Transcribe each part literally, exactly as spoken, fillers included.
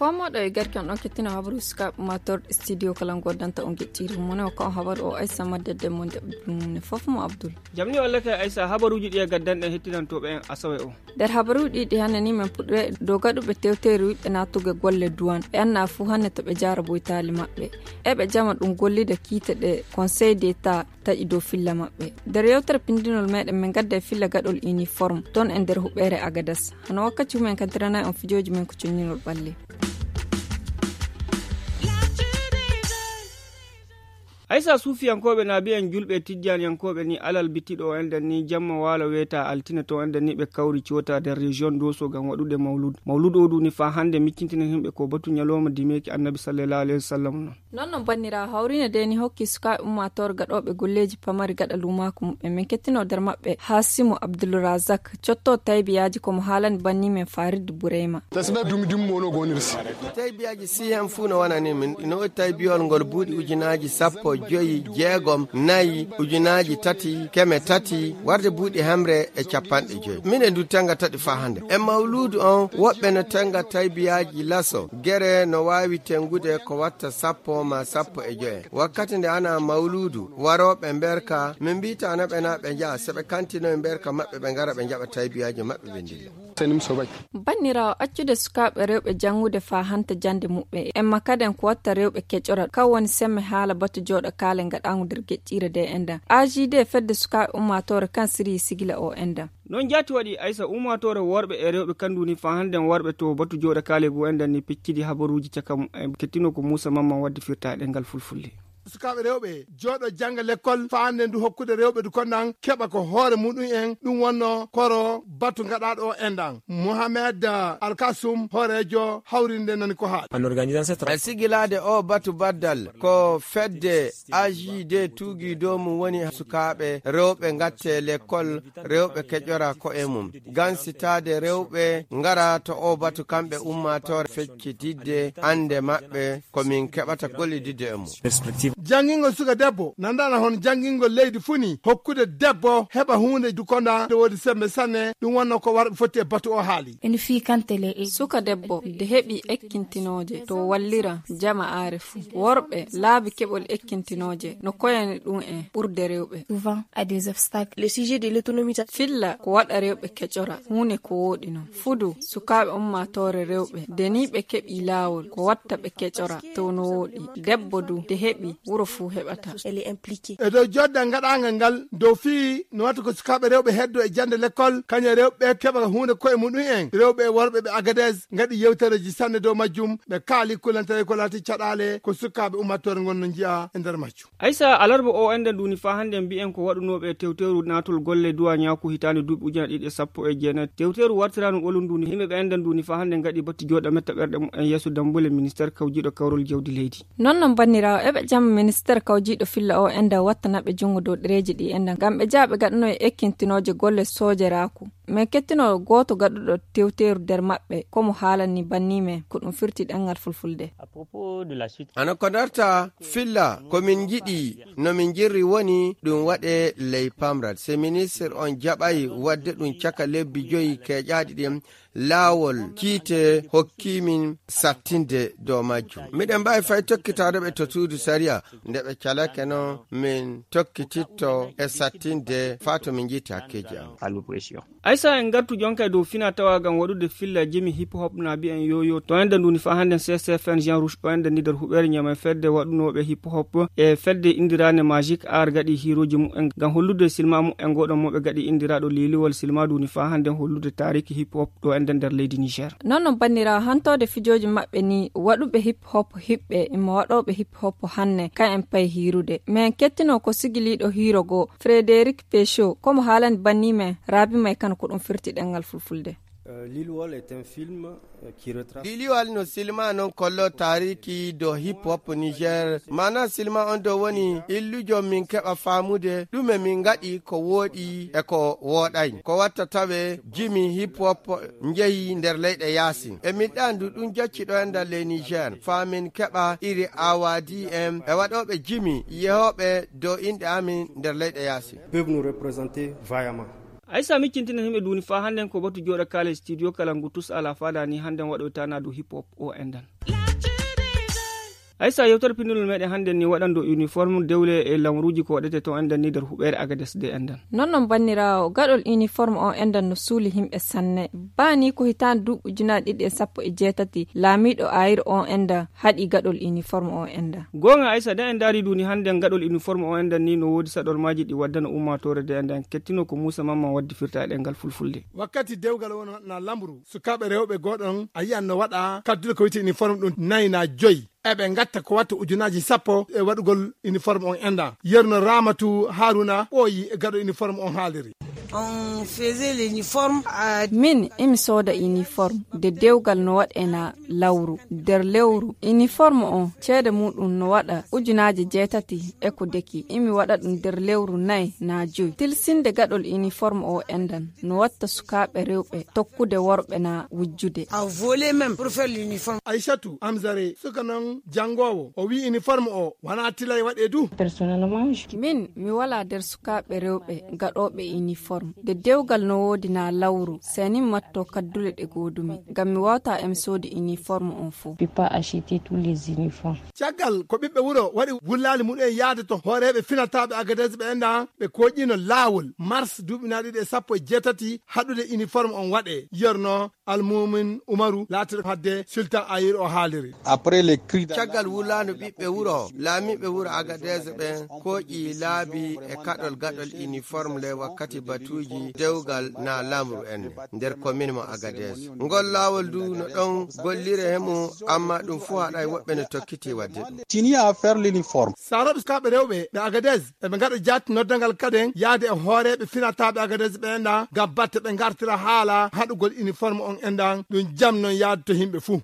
Ko moɗo e garke on ɗon kettino habaru sukaaɓe ummatorɗe studio kala ngoddanta on geɗɗiiri mone o kan habaru o Aysa maddedde mo nde ɗum ne fof mo Abdul. Jamni walla kay Aysa habaruuji ɗi e gaddanɗen hettidantooɓe en asawe o. Nder habaruuji ɗi hannde ni men puɗɗoye dow gaɗuɓe tewteeri wiɓɓe naatuge golle duwan ɓe annaa fuu hannde to ɓe jaara boytaali maɓɓe. Eɓe jama ɗum gollida kiite ɗe Conseil d'État taƴi dow filla maɓɓe. Nder yewtere pindinol meɗen min gadda e filla gaɗol uniforme ton e nder huɓeere Agadas. Hano wakkati humen kantiranay on fijooji men ko conñinol ɓalli. Aysa suufiyankooɓe naabi'en julɓe tijjaaniyankooɓe ni alal bitiɗo o enɗan ni jamma waalo weeta altine to enɗan ni ɓe kawri coota nder région doso ngam waɗude mawlud mawlud o duni faa hannde miccintinen himɓe ko batu ñalooma dimeeki annabi sallallahu alayhi wa sallam non. Non non banniraawo hawriine de ni hokki sukaaɓe ummaatoore gaɗooɓe golleeji pamari gaɗa luumaaku muɓɓen min kettino nder maɓɓe haasimu abdulrazak cotto taybiyaaji ko mo haalani banni men farid bureyma. Tasbih dumi dumi mono gonirsi. Taybiyaaji si hen fuu no wonani min ina woodi taybiyol ngol buuɗi ujunaaji sappo joyi jeegom nayi ujunaaji tati keme tati warde buuɗi hemre e capanɗe joyi min e ndu tenga taɗi faa hannde e mawluudu on woɓɓe no tenga taybiyaaji laso gere no waawi tengude ko watta sappo ma sappo e joye wakkati nde ana mawluudu warooɓe mberka min mbiyta naɓe na ɓe njaha so ɓe kantinoye mberka maɓɓe ɓe ngara ɓe njaɓa taybiyaaji maɓɓe ɓe ndilla. Banniraawo accude sukaaɓe rewɓe janngude faa hanta jannde muɓɓe en makkaden ko watta rewɓe keƴora kan woni semme haala batu jooɗo kaale ngaɗaangu nder geƴƴiire de enɗan agd fedde sukaaɓe ummaatoore kan siriyi sigila o enɗan. Non jaati waɗi aysa ummaatoore worɓe e rewɓe kandu ni faa hannden worɓe to batu jooɗo kaale goo enɗan ni peccidi habaruuji caka mum en kettino ko muusa mamman wadde firta e ɗemngal fulfulde. Sukaaɓe rewɓe jooɗo jannga lekkol faande ndu hokkude rewɓe du konɗan keɓa ko hoore muɗum en ɗum wonno koro batu gaɗaaɗo o enɗan mohamed alkasum hooreejo hawrinde nani ko haali. E sigilaade o batu baddal ko fedde agd tuugi dow mum woni sukaaɓe rewɓe gatte lekkol rewɓe keƴora ko e mum gansitaade rewɓe ngara to o batu kamɓe ummaatoore feccitidde annde maɓɓe ko min keɓata gollididde e mum. Janngingol suka debbo nandana hono janngingol leydi funi hokkude debbo heɓa huunde dukonda nde woodi sembe sanne ɗum wonno ko warɓe fotti e batu o haali. Suka debbo de heɓi ekkintinooje to wallira jama aare fuu worɓe laabi keɓol ekkintinooje no koyani ɗum en ɓurde rewɓe. Filla ko waɗa rewɓe keƴora huunde ko wooɗi non fudu sukaaɓe ummaatoore rewɓe de ni ɓe keɓi laawol ko watta ɓe keƴora to no wooɗi debbo du de heɓi wuro fuu heɓata. E dow jodda gaɗaangal ngal dow fii no watta ko sukaaɓe rewɓe heddo e jannde lekkol kañe rewɓe keɓa huunde koye muɗum en rewɓe e worɓe ɓe agades ngaɗi yewtereji sanne dow majjum ɓe kaali kulantere ko laati caɗaale ko sukaaɓe ummaatoore ngon no njiya e nder majjum. Aysa alarba o enɗan duuni faa hannden mbiyen ko waɗunooɓe tewteeru naatol golle duwaañaaku hitaande duuɓi ujunaaji ɗiɗi e sappo e jeenayi tewteeru wartiraanu ɓolum nduuni yimɓe ɓe enɗan duuni faa hannden ngaɗi batti jooɗa metta ɓerɗe mumen yeeso dammbule ministeer kawjiiɗo kawrol jawdi leydi. Non non banniraawo eɓe jamma ministeer kawjiiɗo filla o enɗan wattanaɓe junngo dow ɗereeji ɗi enɗan ngam ɓe jaha ɓe gaɗano e ekkintinooje golle soojeraaku. Min kettino gooto gaɗuɗo tewteeru nder maɓɓe ko mo haalani banni men ko ɗum firti ɗemngal fulfulde. Ano ko darta filla ko min njiɗi no min njirri woni ɗum waɗe ley pamral se ministre on jaɓay waɗde ɗum caka lebbi joyi keeƴaaɗi ɗin laawol kiite hokki min sattinde dow majjum miɗen mbaawi fay tokkitaade ɓe to suudu sariya nde ɓe calake noon min tokkititto e sattinde faa to min njiiti hakkeeji am. Aysa en ngartu jonka e dow fina tawa ngam waɗude filla jimi hip hop na mbiyen yoyo to enda nduni fa hande ccfn jean rouge o enda ni nder huɓere ñama e fedde waɗunoɓe hip hop e fedde indirane magic ar gaɗi hiroji mumen ngam hollude silma mumen goɗon moɓe gaɗi indiraɗo liliwol silma nduni fa hande hollude tariki hip hop ɗo enda nder leydi niger. Non non banniraawo hantode fijooji maɓɓe ni waɗuɓe hip hop hiɓɓe imma waɗooɓe hip hop hanne ka en pay hiirude mais en kettino ko sigiliiɗo hiiro goo frédéric pécho komo haalani banni men raabi may kano ko ɗum firti ɗemngal fulfulde. Liliwal no silma non kollo taariki do hip hop niger maana silma on do woni illujo min keɓa faamude ɗume min ngaɗi ko wooɗi e ko wooɗay ko watta tawe jimi hip hop njehi nder leyɗe yaasin e min ɗandu ɗum jacci ɗo e nder ley niger faa min keɓa iri awadi en e waɗooɓe jimi yehooɓe dow inɗe amin nder leyɗe yaasin. Peuvent nous représenter vaillamment. Aysa miccintinen himɓe duuni faa hannden ko batu jooɗa kaale studio kala ngu tus alaa faada ni hannden waɗoyta naa du hip hop o endan. Aysa yewtere pinndunol meɗen hannden ni waɗan do uniforme dewle e lamruuji ko waɗete to endan ni nder huɓeere agades de endan. Non non banniraawo gaɗol uniforme o endan no suuli himɓe sanne. Baa ni ko hitaande duuɓi ujunaaji ɗiɗi e sappo e jeetati laamiiɗo ayir o endan haɗi gaɗol uniforme o endan. Goonga aysa de en ndaari duuni hannden gaɗol uniforme o endan ni no woodi saɗormaaji ɗi waddana ummaatoore de endan kettino ko muusa mamman waddi firta e ɗengal fulfulde. Wakkati dewgal wona na lamru sukaaɓe rewɓe gooɗon a yiyan no waɗa kaddude ko wiyte uniforme ɗum nayi na joyi. Eɓe ngatta ko watta ujunaaji sappo e waɗugol uniforme on enda yerno ramatu haruna ɓooyi e gaɗo uniforme on haaliri. On faisait l'uniforme à min imi sooda uniforme de dewgal no waɗena lawru nder lewru uniforme on ceede muɗum no waɗa ujunaaji jeetati e ko deki imi waɗa ɗum nder lewru nayi na joyi tilsinde gaɗol uniforme o endan no watta sukaaɓe rewɓe tokkude worɓe na wujjude. A volé même pour faire l'uniforme. Aïchatou Amzare suka non janngowo o wi uniforme o wana tilay waɗe du. Personnellement min mi wala nder sukaaɓe rewɓe gaɗooɓe uniforme de dewgal no woodi na lawru senin matto kaddule ɗe goodumi ngam mi wawta em soodi uniforme on fof. Pas acheter tous les uniformes. Caggal ko ɓiɓɓe wuro waɗi wullaali muɗum en yahde to hooreeɓe finataaɓe agades ɓe enɗan ɓe kooƴiino laawol mars duuɓi na ɗiɗi e sappo e jeetati haɗude uniforme on waɗe yerno almumin umaru laatiɗo hadde sultan ayir o haaliri. Après les cris caggal wulaandu ɓiɓɓe wuro laamiiɓe wuro agades ɓen kooƴi laabi e kaɗol gaɗol uniforme le wakkati batuuji dewgal na lamru en nder commune mo agades ngol laawol du no ɗon gollire hemo amma ɗum fuu haɗay woɓɓe no tokkiti waɗde ɗum. Tini à faire l'uniforme. Saroɓe sukaaɓe rewɓe ɓe agades eɓe ngaɗa jaati noddangal kaden yaade e hooreeɓe finataaɓe agades ɓe enɗan ngam batte ɓe ngartira haala haɗugol uniforme on enɗan ɗum jam non yaade to yimɓe fuu.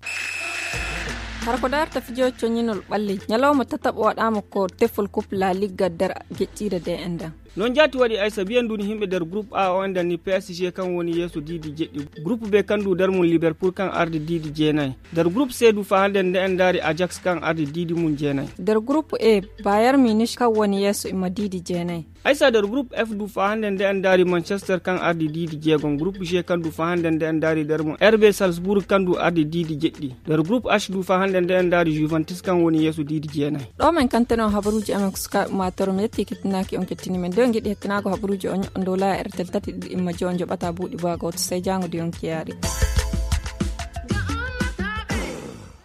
Hara ko darta fijo coñinol ɓalli ñalawma tataɓo waɗama ko tefol coupe la ligue nder geƴƴire de enɗan. Non jaati waɗi aysa biyen duni himɓe nder groupe a o enɗan ni psg kan woni yeeso diidi jeɗɗi groupe be kan du nder mum liverpool kan ardi diidi jeenayi. Nder groupe c du fa hande nde en ndaari ajax kan ardi diidi mum jeenayi. Nder groupe e bayern munich kan woni yeeso imma diidi jeenayi. Aysa nder groupe f du fa hande nde en ndaari manchester kan ardi diidi jeegom groupe g kan du fa hande nde en ndaari nder mum rb salzbourg kan du ardi diidi jeɗɗi. Nder groupe h du fa hande nde en ndaari juventus kan woni yeeso diidi jeenayi. Ɗo men kantano habaruuji amen ko sukaaɓe maatoro mi yetti kettinaaki on kettini men nde on ngiɗi hettinaako habaruuji on ñoɗɗo ndow laya rtl tati ɗiɗi imma jo on joɓata buuɗi baa gooto sey jaango de on kiyaari.